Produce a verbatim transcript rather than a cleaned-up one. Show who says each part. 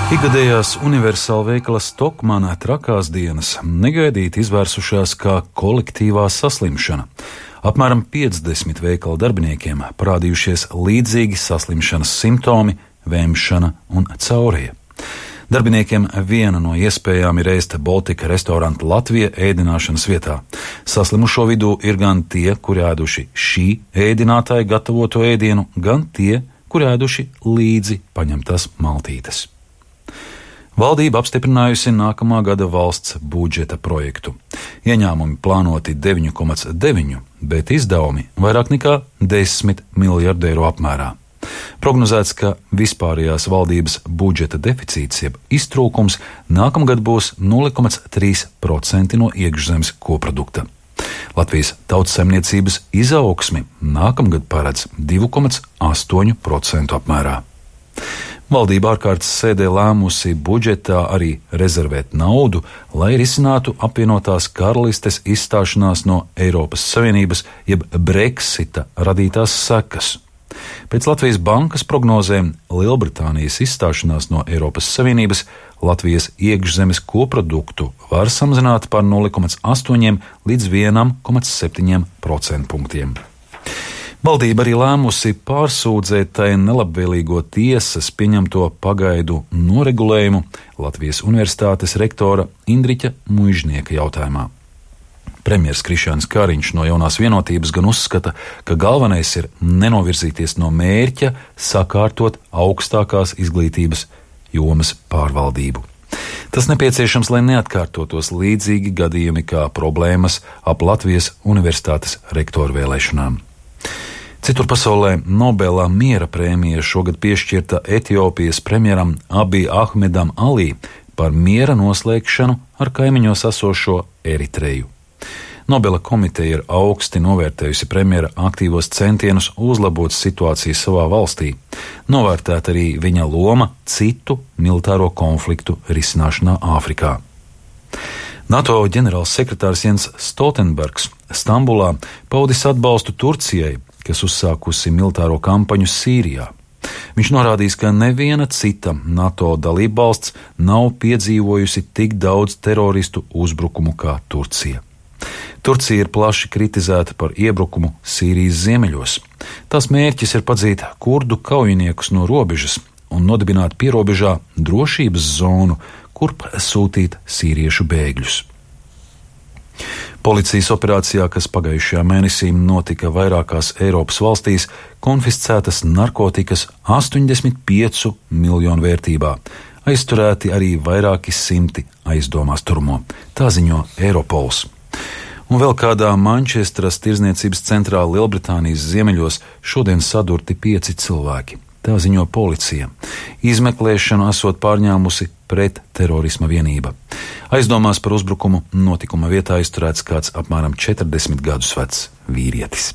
Speaker 1: Ikgadējās universāla veikala Stokmana trakās dienas negaidīti izvērsušās kā kolektīvā saslimšana. Apmēram piecdesmit veikala darbiniekiem parādījušies līdzīgi saslimšanas simptomi, vēmšana un caurija. Darbiniekiem viena no iespējām ir ēst Baltika restoranta Latvija ēdināšanas vietā. Saslimušo vidū ir gan tie, kuri ēduši šī ēdinātāja gatavoto ēdienu, gan tie, kuri ēduši līdzi paņemtās maltītes. Valdība apstiprinājusi nākamā gada valsts budžeta projektu. Ieņēmumi plānoti deviņi komats deviņi, bet izdevumi vairāk nekā desmit miljardu eiro apmērā. Prognozēts, ka vispārējās valdības budžeta deficīts jeb iztrūkums nākamgad būs nulle komats trīs procenti no iekšzemes koprodukta. Latvijas tautsaimniecības izaugsmi nākamgad paredz divi komats astoņi procenti apmērā. Valdība ārkārtas sēdē lēmusi budžetā arī rezervēt naudu, lai risinātu apvienotās karalistes izstāšanās no Eiropas Savienības jeb Brexita radītās sekas. Pēc Latvijas bankas prognozēm Lielbritānijas izstāšanās no Eiropas Savienības Latvijas iekšzemes koproduktu var samazināt par nulle komats astoņi līdz viens komats septiņi procentpunktiem. Valdība arī lēmusi pārsūdzēt tai nelabvēlīgo tiesas pieņemto pagaidu noregulējumu Latvijas Universitātes rektora Indriķa Muižnieka jautājumā. Premjers Krišjānis Kariņš no Jaunās vienotības gan uzskata, ka galvenais ir nenovirzīties no mērķa sakārtot augstākās izglītības jomas pārvaldību. Tas nepieciešams, lai neatkārtotos līdzīgi gadījumi kā problēmas ap Latvijas Universitātes rektoru vēlēšanām. Citur pasaulē Nobela miera prēmija šogad piešķirta Etiopijas premjeram Abiy Ahmedam Ali par miera noslēgšanu ar kaimiņos esošo Eritreju. Nobela komiteja ir augsti novērtējusi premjera aktīvos centienus uzlabot situāciju savā valstī, novērtēt arī viņa loma citu militāro konfliktu risināšanā Āfrikā. NATO ģenerāls sekretārs Jens Stoltenbergs Stambulā paudis atbalstu Turcijai, kas uzsākusi militāro kampaņu Sīrijā. Viņš norādījis, ka neviena cita NATO dalībvalsts nav piedzīvojusi tik daudz teroristu uzbrukumu kā Turcija. Turcija ir plaši kritizēta par iebrukumu Sīrijas ziemeļos. Tās mērķis ir padzīt kurdu kaujiniekus no robežas un nodibināt pierobežā drošības zonu, kurp sūtīt sīriešu bēgļus. Policijas operācijā, kas pagājušajā mēnesī notika vairākās Eiropas valstīs, konfiscētas narkotikas astoņdesmit piecu miljonu vērtībā. Aizturēti arī vairāki simti aizdomās turamo. Tā ziņo Eiropols. Un vēl kādā Mančestras tirdzniecības centrā Lielbritānijas ziemeļos šodien sadurti pieci cilvēki. Tā ziņo policija. Izmeklēšanu esot pārņēmusi pret terorisma vienība. Aizdomās par uzbrukumu notikuma vietā aizturēts kāds apmēram četrdesmit gadus vecs vīrietis.